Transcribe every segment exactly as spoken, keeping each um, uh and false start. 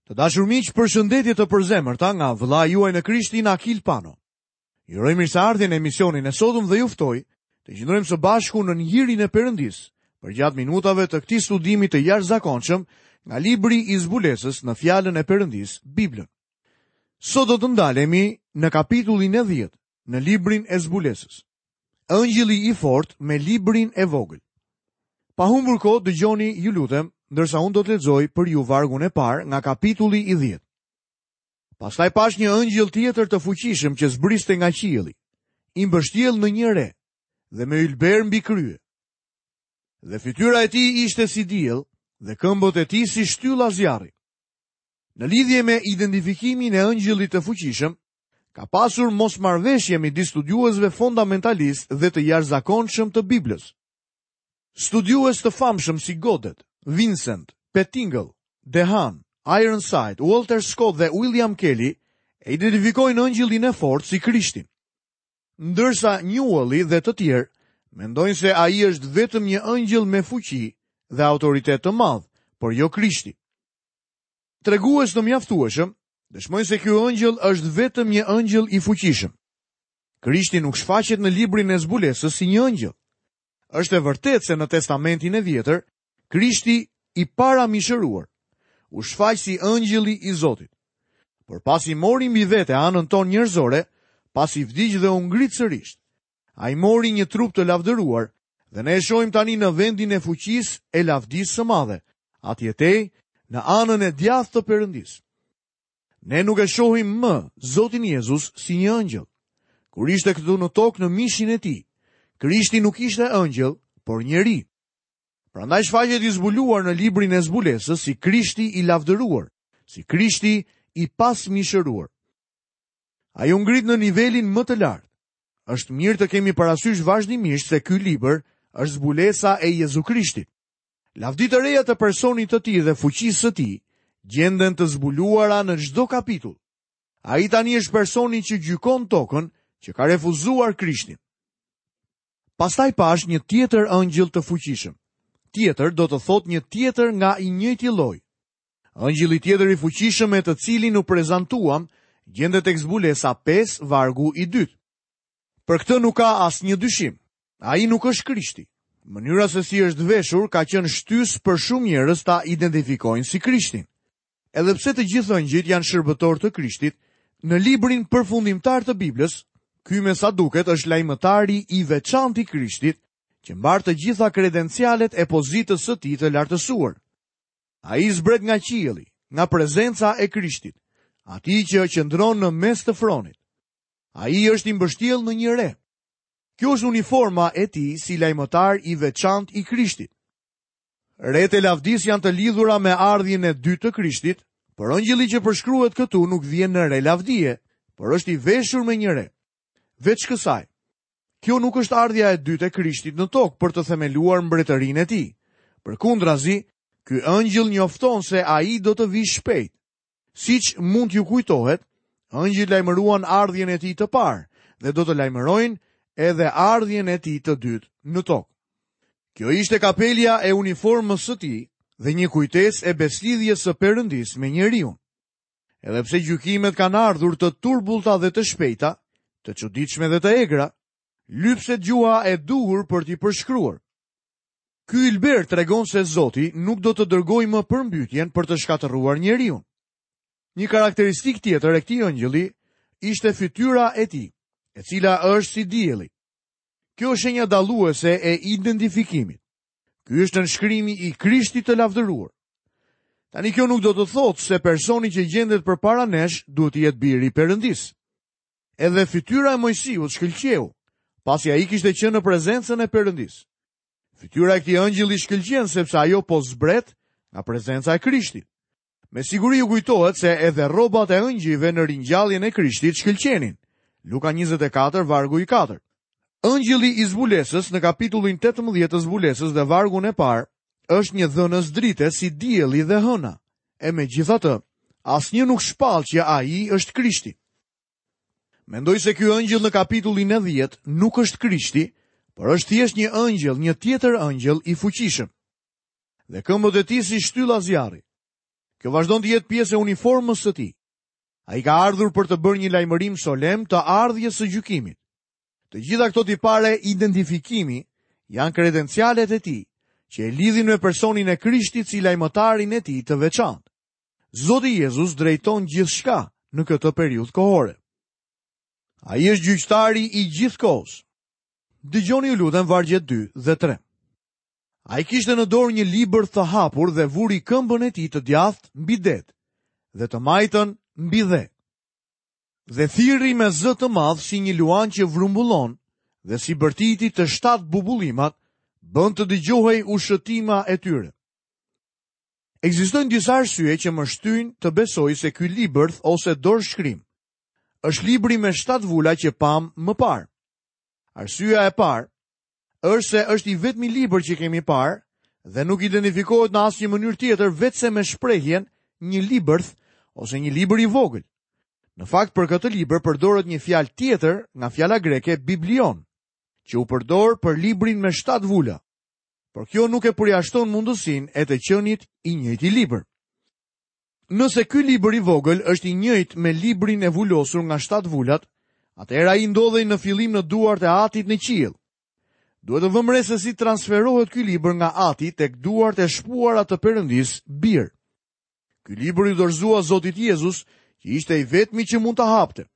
Të dashur miq, përshëndetje të përzemërta nga vëllai juaj në Krishtin Akil Pano. Ju uroj mirëseardhjen në emisionin e sotëm dhe ju ftoj të qëndrojmë së bashku në hirin e Perëndisë përgjatë minutave të këtij studimi të jashtëzakonshëm nga libri i zbulesës në fjalën e Perëndisë, Biblën. Sot do të ndalemi në kapitullin e dhjetë në librin e zbulesës. Ëngjëlli i fortë me librin e vogël. Pa humbur kohë, dëgjoni, ju lutem, ndërsa unë do të lexoj për ju vargun e parë nga kapitulli i dhjetë. Pastaj pash një ëngjëll tjetër të fuqishëm që zbriste nga qielli, i mbështjell në një re dhe me ylber mbi krye. Dhe fytyra e tij ishte si diell dhe këmbët e tij si shtylla zjarri. Në lidhje me identifikimin e ëngjëllit të fuqishëm, ka pasur mosmarrëveshje midis studiuesve fundamentalistë dhe të jashtëzakonshëm të Biblës. Studiues të famshëm si Godet, Vincent, Pettingill, DeHaan, Ironside, Walter Scott dhe William Kelly e identifikojnë ëngjëllin e fortë si Krishtin. Ndërsa Newelli dhe të tjerë mendojnë se ai është vetëm një ëngjëll me fuqi dhe autoritet të madh, por jo Krishti. Tregues të mjaftueshëm dëshmojnë se ky ëngjëll është vetëm një ëngjëll i fuqishëm. Krishti nuk shfaqet në librin e zbulesës si një ëngjëll. Është e vërtetë se në Testamentin e Vjetër, Krishti i paramishëruar u shfaq si ëngjëlli i Zotit. Por pasi mori mbi vete anën tonë njerëzore, pasi vdiq dhe u ngrit sërish, ai mori një trup të lavdëruar dhe ne e shohim tani në vendin e fuqisë e lavdisë së madhe, atje tej, në anën e djathtë të Perëndisë. Ne nuk e shohim më Zotin Jezus si një ëngjëll. Kur ishte këtu në tokë në mishin e tij, Krishti nuk ishte ëngjëll, por njeri. Prandaj shfaqet i zbuluar në librin e zbulesës si Krishti i lavdëruar, si Krishti i pasmishëruar. Ai u ngrit në nivelin më të lartë. Është mirë të kemi parasysh vazhdimisht se ky libër është zbulesa e Jezu Krishtit. Lavditë e reja të personit të tij dhe fuqisë së tij gjenden të zbuluara në çdo kapitull. Ai tani është personi që gjykon tokën që ka refuzuar Krishtin. Pastaj pash një tjetër ëngjëll të fuqishëm. Tjetër do të thotë një tjetër nga i njëjti lloj. Ëngjëlli tjetër i fuqishëm me të cilin u prezantuam gjendet tek zbulesa pesë vargu i dytë. Për këtë nuk ka asnjë dyshim. Ai nuk është Krishti. Mënyra se si është veshur ka qenë shtys për shumë njerëz ta identifikojnë si Krishtin. Edhe pse të gjithë ëngjëjt janë shërbëtor të Krishtit, në librin përfundimtar të Biblës, ky me sa duket është lajmëtari i veçantë i Krishtit, që mbar të gjitha kredencialet e pozitës së tij të lartësuar. Ai zbret nga qielli, nga prezenca e Krishtit, atij që qëndron në mes të fronit. Ai është i mbështjellë në një re. Kjo është uniforma e tij si lajmëtar i veçantë i Krishtit. Retë e lavdisë janë të lidhura me ardhjen e dytë të Krishtit, por ëngjëlli që përshkruhet këtu nuk vjen në re lavdie, por është i veshur me një re. Veç kësaj, kjo nuk është ardhja e dytë e Krishtit në tokë për të themeluar mbretërinë e tij. Përkundrazi, ky ëngjëll njofton se ai do të vijë shpejt. Siç mund t'ju kujtohet, ëngjëjt lajmëruan ardhjen e tij të parë dhe do të lajmërojnë edhe ardhjen e tij të dytë në tokë. Kjo ishte kapelja e uniformës së tij dhe një kujtesë e beslidhjes së Perëndisë me njeriun. Edhe pse gjykimet kanë ardhur të turbullta dhe të shpejta, të çuditshme dhe të egra, lypset gjuha e duhur për t'i përshkruar. Ky ylber tregon se Zoti nuk do të dërgojë më përmbytjen për të shkatërruar njeriun. Një karakteristik tjetër e këtij ëngjëlli ishte fytyra e tij, e cila është si dielli. Kjo është shenja dalluese e identifikimit. Ky është nënshkrimi i Krishtit të lavdëruar. Tani kjo nuk do të thotë se personi që gjendet përpara nesh duhet të jetë biri i Perëndisë. Edhe fytyra e Moisiut shkëlqeu, pasi ai kishte qenë në prezencën e Perëndisë. Fytyra e këtij ëngjëlli shkëlqen sepse ajo po zbret nga prezenca e Krishtit. Me siguri ju kujtohet se edhe rrobat e ëngjëjve në ringjalljen e Krishtit shkëlqenin. Luka njëzet e katër, vargu i katërt. Ëngjëlli i zbulesës në kapitullin tetëmbëdhjetë të zbulesës dhe vargun e parë është një dhënës drite si dielli dhe hëna. E megjithatë, asnjë nuk shpall që ai është Krishti. Mendoj se ky ëngjëll në kapitullin e dhjetë nuk është Krishti, por është thjesht një ëngjëll, një tjetër ëngjëll i fuqishëm. Dhe këmbët e tij si shtylla zjarri. Kjo vazhdon të jetë pjesë e uniformës së tij. Ai ka ardhur për të bërë një lajmërim solemn të ardhjes së gjykimit. Të gjitha këto tipare identifikimi janë kredencialet e tij, që e lidhin me personin e Krishtit si lajmëtarin e tij të veçantë. Zoti Jezus drejton gjithçka në këtë periudhë kohore. Ai është gjyqtari i gjithë kohës. Dëgjoni ju lutem vargjet dy dhe tre. Ai kishte në dorë një libër të hapur dhe vuri këmbën e tij të djathtë mbi det dhe të majtën mbi dhe. Dhe thirri me zë të madh si një luan që vrumbullon dhe si bërtiti të shtatë bubullimat, bën të dëgjohej ushëtima e tyre. Ekzistojnë disa arsye që më shtyjnë të besoj se ky libër ose dorëshkrim është libri me shtatë vula që pam më parë. Arsyeja e parë është se është i vetmi libër që kemi parë dhe nuk identifikohet në asnjë mënyrë tjetër vetëm se me shprehjen një libër ose një libër i vogël. Në fakt, për këtë libër përdoret një fjalë tjetër nga fjala greke biblion, që u përdor për librin me shtatë vula. Por kjo nuk e përjashton mundësinë e të qenit i njëjti libër. Nëse ky libër i vogël është i njëjtë me librin e vulosur nga shtatë vulat, atëherë ai ndodhej në fillim në duart e Atit në qiell. Duhet të vëmë re se si transferohet ky libër nga Ati tek duart e shpuara të Perëndisë Bir. Ky libër i dorëzua Zotit Jezus, që ishte i vetmi që mund ta hapte.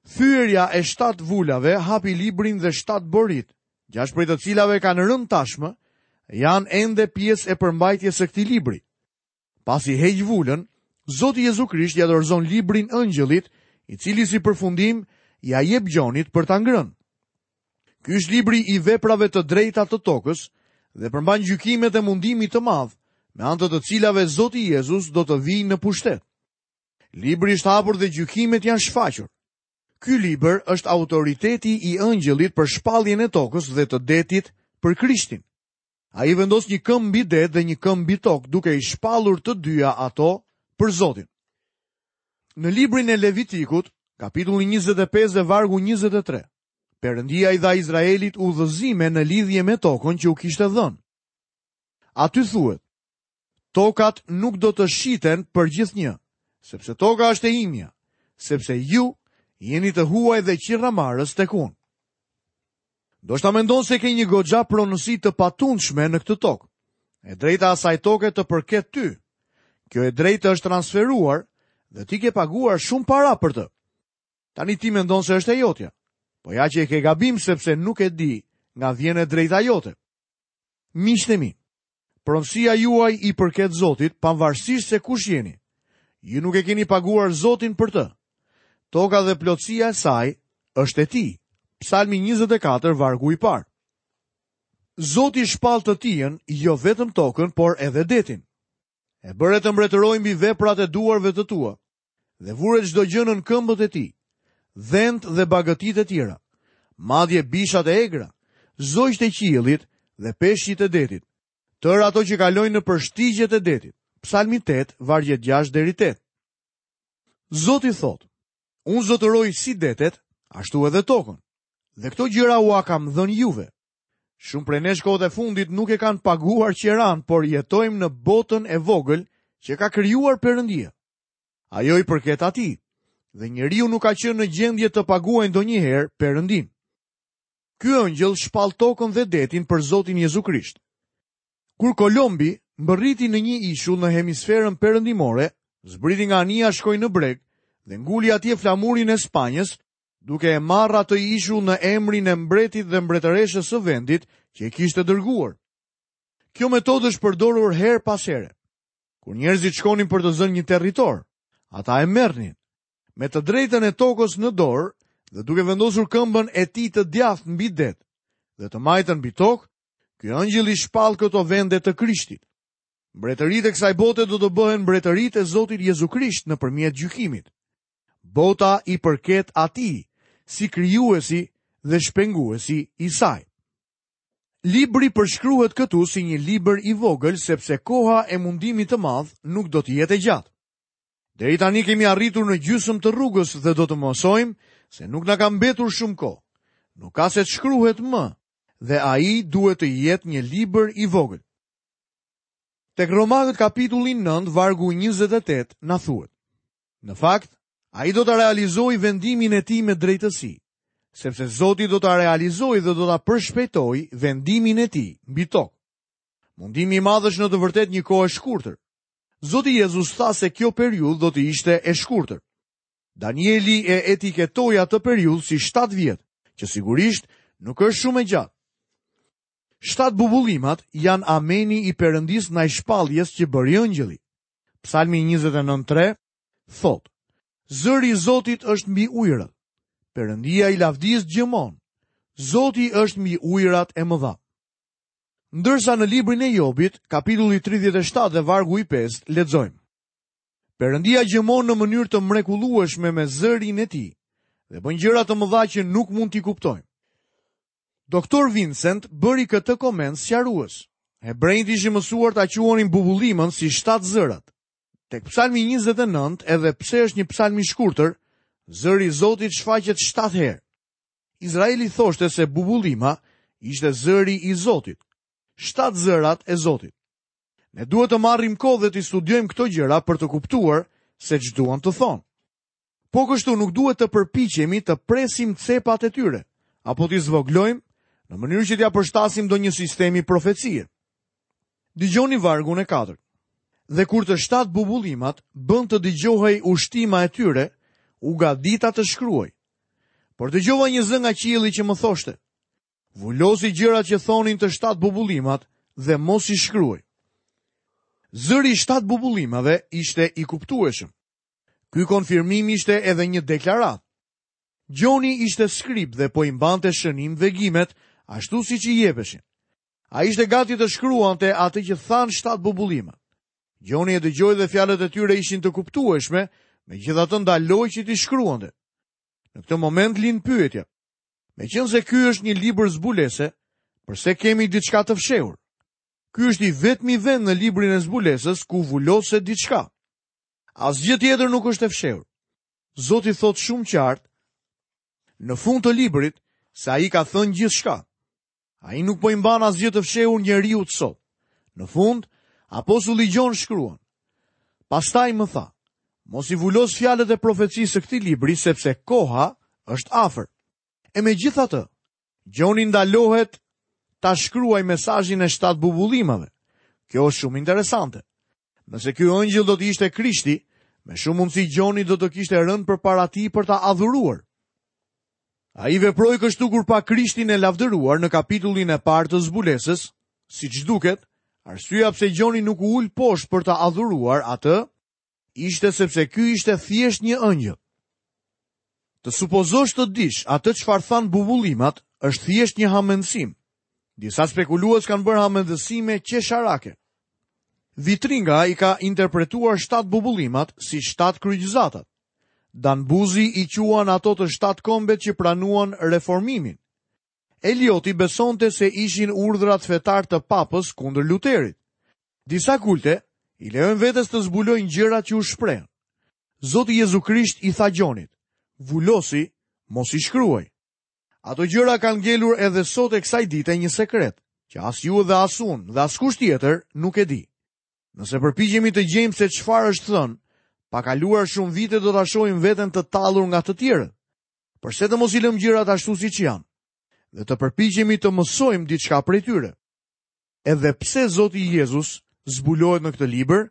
Thyerja e shtatë vulave hapi librin dhe shtatë borit, gjashtë prej të cilave kanë rënë tashmë, janë ende pjesë e përmbajtjes së këtij libri. Pasi heq vulën, Zoti Jezu Krisht ja dorëzon librin engjëllit, i cili si përfundim ja jep Gjonit për ta ngrënë. Ky është libri i veprave të drejta të tokës dhe përmban gjykimet e mundimit të madh, me anë të të cilave Zoti Jezus do të vijë në pushtet. Libri është hapur dhe gjykimet janë shfaqur. Ky libër është autoriteti i engjëllit për shpalljen e tokës dhe të detit për Krishtin. Ai vendos një këmbë mbi det dhe një këmbë mbi tokë, duke i shpallur të dyja ato për Zotin. Në librin e Levitikut, kapitulli njëzet e pesë dhe vargu njëzet e tre, Perëndia i dha Izraelit udhëzime në lidhje me tokën që u kishte dhënë. Aty thuhet: Tokat nuk do të shiten për gjithnjë, sepse toka është e imja, sepse ju jeni të huaj dhe qiramarrës tek unë. Ndoshta mendon se ke një goxha pronësi të patundshme në këtë tokë. E drejta asaj toke të përket ty. Kjo e drejtë është transferuar dhe ti ke paguar shumë para për të. Tani ti mendon se është e jotja. Po ja që e ke gabim, sepse nuk e di nga vjen e drejta jote. Miqtë e mi, pronësia juaj i përket Zotit, pavarësisht se kush jeni. Ju nuk e keni paguar Zotin për të. Toka dhe plotësia e saj është e tij. Psalmi njëzet e katër, vargu i parë. Zoti shpall të tijën, jo vetëm tokën, por edhe detin. E bëre të mbretërojë mbi veprat e duarve të tua, dhe vure çdo gjë nën këmbët e tij, dhent dhe bagëtitë e tjera, madje bishat e egra, zogjtë e qiellit dhe peshqit e detit, tërë ato që kalojnë në përshtigjet e detit. Psalmi tetë, vargjet gjashtë deri tetë. Zoti thotë: Unë zotëroj si detet, ashtu edhe tokën, dhe këto gjëra ua kam dhënë juve. Shumë prej nesh kohët e fundit nuk e kanë paguar qeran, por jetojmë në botën e vogël që ka krijuar Perëndia. Ajo i përket atij, dhe njeriu nuk ka qenë në gjendje të paguajë ndonjëherë Perëndin. Ky engjëll shpall tokën dhe detin për Zotin Jezu Krisht. Kur Kolombi mbërriti në një ishull në hemisferën perëndimore, zbriti nga anija, shkoi në breg dhe nguli atje flamurin e Spanjës, duke e marrë atë ishull në emrin e mbretit dhe mbretëreshës së vendit që e kishte dërguar. Kjo metodë është përdorur herë pas here. Kur njerëzit shkonin për të zënë një territor, ata e merrnin me të drejtën e tokës në dorë dhe duke vendosur këmbën e tij të djathtë mbi det dhe të majtën mbi tokë, ky engjëll i shpall këto vende të Krishtit. Mbretëritë e kësaj bote do të bëhen mbretëritë e Zotit Jezu Krisht nëpërmjet gjykimit. Bota i përket atij si krijuesi dhe shpenguesi i saj. Libri përshkruhet këtu si një libër i vogël, sepse koha e mundimit të madh nuk do të jetë e gjatë. Deri tani kemi arritur në gjysmë të rrugës dhe do të mësojmë se nuk na ka mbetur shumë kohë. Nuk ka se të shkruhet më, dhe ai duhet të jetë një libër i vogël. Tek Romakët kapitulli nëntë, vargu njëzet e tetë na thuhet: Në fakt, ai do ta realizojë vendimin e tij me drejtësi, sepse Zoti do ta realizojë dhe do ta përshpejtojë vendimin e tij mbi tokë. Mundimi i madh është në të vërtetë një kohë e shkurtër. Zoti Jezus tha se kjo periudhë do të ishte e shkurtër. Danieli e etiketoi atë periudhë si shtatë vjet, që sigurisht nuk është shumë e gjatë. Shtatë bubullimat janë ameni i Perëndisë ndaj shpalljes që bëri engjëlli. Psalmi njëzet e nëntë tre thotë: Zëri i Zotit është mbi ujërat. Perëndia i lavdisë gjëmon. Zoti është mbi ujërat e mëdha. Ndërsa në librin e Jobit, kapitulli tridhjetë e shtatë dhe vargu i pestë, lexojmë: Perëndia gjëmon në mënyrë të mrekullueshme me zërin e tij dhe bën gjëra të mëdha që nuk mund t'i kuptojmë. Doktor Vincent bëri këtë koment sqarues. Hebrejt ishin mësuar ta quanin bubullimën si shtatë zërat. Tek Psalmi njëzet e nëntë, edhe pse është një psalm i shkurtër, zëri i Zotit shfaqet shtatë herë. Izraeli thoshte se bubullima ishte zëri i Zotit. Shtatë zërat e Zotit. Ne duhet të marrim kohë dhe të studiojmë këto gjëra për të kuptuar se ç'duan të thonë. Po kështu nuk duhet të përpiqemi të presim cepat e tyre, apo t'i zvoglojmë në mënyrë që t'ia përshtasim ndonjë sistemi profecie. Dëgjoni vargun e katërt. Dhe kur të shtatë bubullimat bën të dëgjohej ushtima e tyre, u gadita të shkruaj. Por dëgjova një zë nga qielli që më thoshte: Vulosi gjërat që thonin të shtatë bubullimat dhe mos i shkruaj. Zëri i shtatë bubullimave ishte i kuptueshëm. Ky konfirmim ishte edhe një deklaratë. Gjoni ishte skrib dhe po i mbante shënim vegimet ashtu siç i jepeshin. Ai ishte gati të shkruante atë që thanë shtatë bubullimat. Gjoni e dëgjoi dhe fjalët e tyre ishin të kuptueshme, megjithatë ndaloi që t'i shkruante. Në këtë moment lind pyetja: meqense ky është një libër zbulese, përse kemi diçka të fshehur? Ky është i vetmi vend në librin e zbulesës ku vuloset diçka. Asgjë tjetër nuk është e fshehur. Zoti thotë shumë qartë në fund të librit se ai ka thënë gjithçka. Ai nuk po i mban asgjë të fshehur njeriu sot. Në fund, apostulli Gjon shkruan: Pastaj më tha, mos i vulos fjalët e profecisë së këtij libri, sepse koha është afër. E megjithatë, Gjoni ndalohet ta shkruaj mesazhin e shtatë bubullimave. Kjo është shumë interesante. Nëse ky engjëll do të ishte Krishti, me shumë mundësi Gjoni do të kishte rënë përpara tij për ta adhuruar. Ai veproi kështu kur pa Krishtin e lavdëruar në kapitullin e parë të zbulesës, siç duket, arsyeja pse Gjoni nuk u ul poshtë për ta adhuruar atë, ishte sepse ky ishte thjesht një engjëll. Të supozosh të dish atë çfarë than bubullimat është thjesht një hamendësim. Disa spekulues kanë bërë hamendësime qesharake. Vitringa i ka interpretuar shtatë bubullimat si shtatë kryqëzatat. Dan Buzi i quan ato të shtatë kombet që pranuan reformimin. Elioti besonte se ishin urdhrat fetar të papës kundër Luterit. Disa kulte i lejojnë vetes të zbulojnë gjërat që u shprehen. Zoti Jezu Krisht i tha Gjonit: Vulosi, mos i shkruaj. Ato gjëra kanë ngelur edhe sot e kësaj dite një sekret, që as ju dhe as unë dhe askush tjetër nuk e di. Nëse përpiqemi të gjejmë se çfarë është thënë, pa kaluar shumë vite do ta shohim veten të tallur nga të tjerët. Përse të mos i lëmë gjërat ashtu siç janë dhe të përpiqemi të mësojmë diçka prej tyre? Edhe pse Zoti Jezus zbulohet në këtë libër,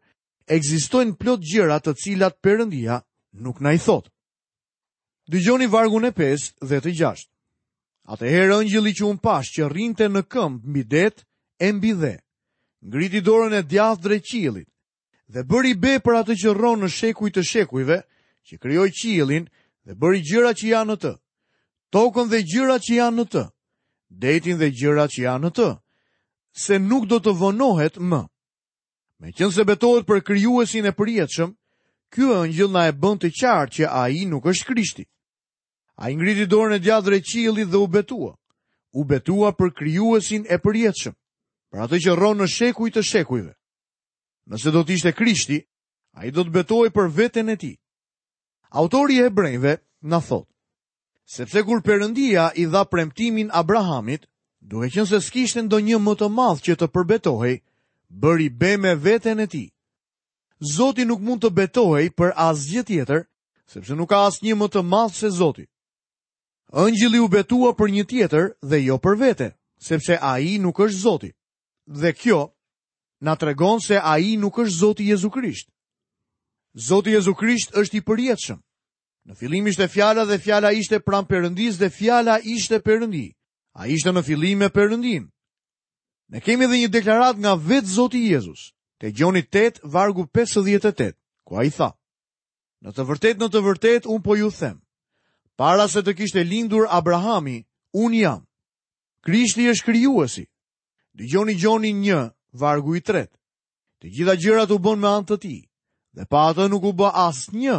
ekzistojnë plot gjëra të cilat Perëndia nuk na i thotë. Dëgjoni vargun e pestë dhe të gjashtë. Atëherë engjëlli që unë pash që rrinte në këmbë mbi det e mbi dhe, ngriti dorën e djathtë drejt qiellit dhe bëri be për atë që rron në shekuj të shekujve, që krijoi qiellin dhe bëri gjërat që janë në të, tokën dhe gjërat që janë në të, detin dhe gjërat që janë në të, se nuk do të vonohet më. Meqense betohet për krijuesin e përjetshëm, ky engjëll na e bën të qartë që ai nuk është Krishti. Ai ngriti dorën e djathtë drejt qiellit dhe u betua. U betua për krijuesin e përjetshëm, për atë që rron në shekuj të shekujve. Nëse do të ishte Krishti, ai do të betohej për veten e tij. Autori i Hebrejve na thotë: sepse kur Perëndia i dha premtimin Abrahamit, duke qenë se s'kishte ndonjë më të madh që të përbetohej, bëri be me veten e tij. Zoti nuk mund të betohej për asgjë tjetër, sepse nuk ka asnjë më të madh se Zoti. Ëngjëlli u betua për një tjetër dhe jo për vete, sepse ai nuk është Zoti. Dhe kjo na tregon se ai nuk është Zoti Jezu Krisht. Zoti Jezu Krisht është i përjetshëm. Në fillim ishte fjala dhe fjala ishte pranë Perëndisë dhe fjala ishte Perëndi. Ai ishte në fillim me Perëndin. Ne kemi edhe një deklaratë nga vetë Zoti Jezus, te Gjoni tetë, vargu pesëdhjetë e tetë, ku ai tha: Në të vërtetë, në të vërtetë, unë po ju them, para se të kishte lindur Abrahami, unë jam. Krishti është krijuesi. Dëgjoni Gjoni një, vargu i tretë. Të gjitha gjërat u bën me anë të tij, dhe pa atë nuk u bë asnjë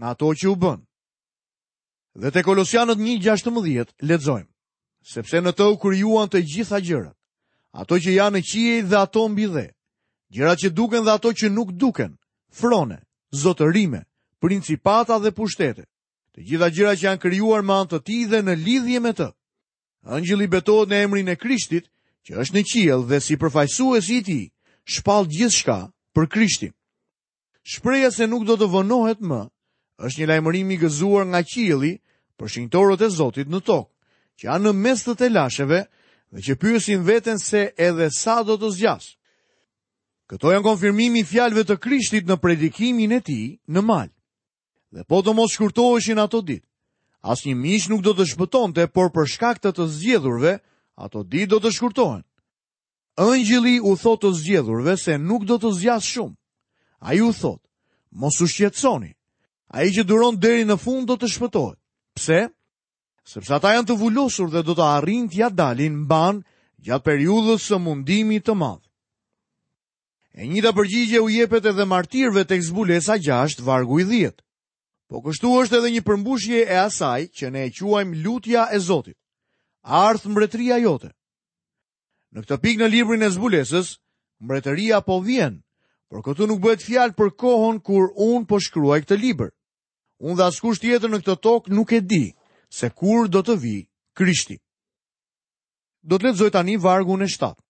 nga ato që u bën. Dhe te Kolosianët një gjashtëmbëdhjetë lexojmë: Sepse në të u krijuan të gjitha gjërat, ato që janë në qiej dhe ato mbi dhe, gjërat që duken dhe ato që nuk duken, frone, zotërime, principata dhe pushtete, të gjitha gjërat që janë krijuar me anë të tij dhe në lidhje me të. Ëngjëlli betohet në emrin e Krishtit, që është në qiell dhe si përfaqësuesi i tij, shpall gjithçka për Krishtin. Shpreha se nuk do të vonohet më, është një lajmërim i gëzuar nga qielli për shenjtorët e Zotit në tokë, që janë në mes të telasheve dhe që pyesin veten se edhe sa do të zgjas. Këto janë konfirmimi i fjalëve të Krishtit në predikimin e tij në mal. Dhe po të mos shkurtoheshin ato ditë, asnjë mish nuk do të shpëtonte, por për shkak të të zgjedhurve, ato ditë do të shkurtohen. Ëngjëlli u thotë të zgjedhurve se nuk do të zgjas shumë. Ai u thotë, mos u shqetësoni. Ai që duron deri në fund do të shpëtohet. Pse? Sepse ata janë të vulosur dhe do të arrijnë t'ia dalin mban gjatë periudhës së mundimit të madh. E njëjta përgjigje u jepet edhe martirëve tek zbulesa gjashtë, vargu i dhjetë. Po kështu është edhe një përmbushje e asaj që ne e quajmë lutja e Zotit. Ardh mbretëria jote. Në këtë pikë në librin e zbulesës, mbretëria po vjen, por këtu nuk bëhet fjalë për kohën kur unë po shkruaj këtë libër. Unë dhe askush tjetër në këtë tokë nuk e di se kur do të vijë Krishti. Do të lexoj tani vargun e shtatë.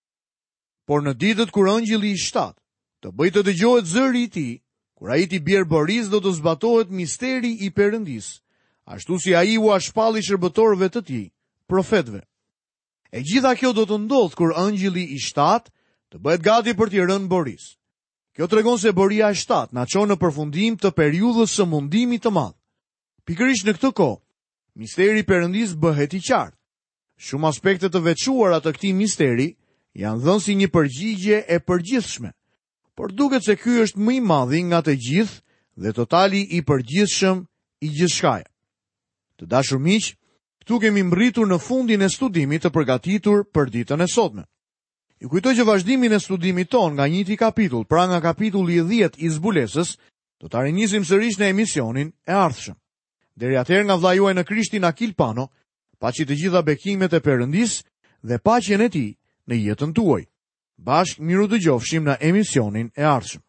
Por në ditët kur ëngjëlli i shtatë të bëjë të dëgjohet zëri i tij, kur ai t'i bjerë boris, do të zbatohet misteri i Perëndisë, ashtu si ai ua shpalli shërbëtorëve të tij, profetëve. E gjitha kjo do të ndodhë kur ëngjëlli i shtatë të bëhet gati për t'i rënë boris. Kjo tregon se boria e shtatë na çon në përfundim të periudhës së mundimit të madh. Pikërisht në këtë kohë, misteri i Perëndisë bëhet i qartë. Shumë aspekte të veçuara të këtij misteri janë dhënë si një përgjigje e përgjithshme, por duket se ky është më i madhi nga të gjithë dhe totali i përgjithshëm i gjithçkaje. Të dashur miq, këtu kemi mbërritur në fundin e studimit të përgatitur për ditën e sotme. Ju kujtoj që vazhdimin e studimit ton nga njëti kapitull, pra nga kapitulli i dhjetë i zbulesës, do ta rinisim sërish në emisionin e ardhshëm. Deri atëherë nga vëllai juaj në Krishtin Akil Pano, paçi të gjitha bekimet e Perëndisë dhe paqen e tij në jetën tuaj. Bashkë miru dëgjofshim në emisionin e ardhshëm.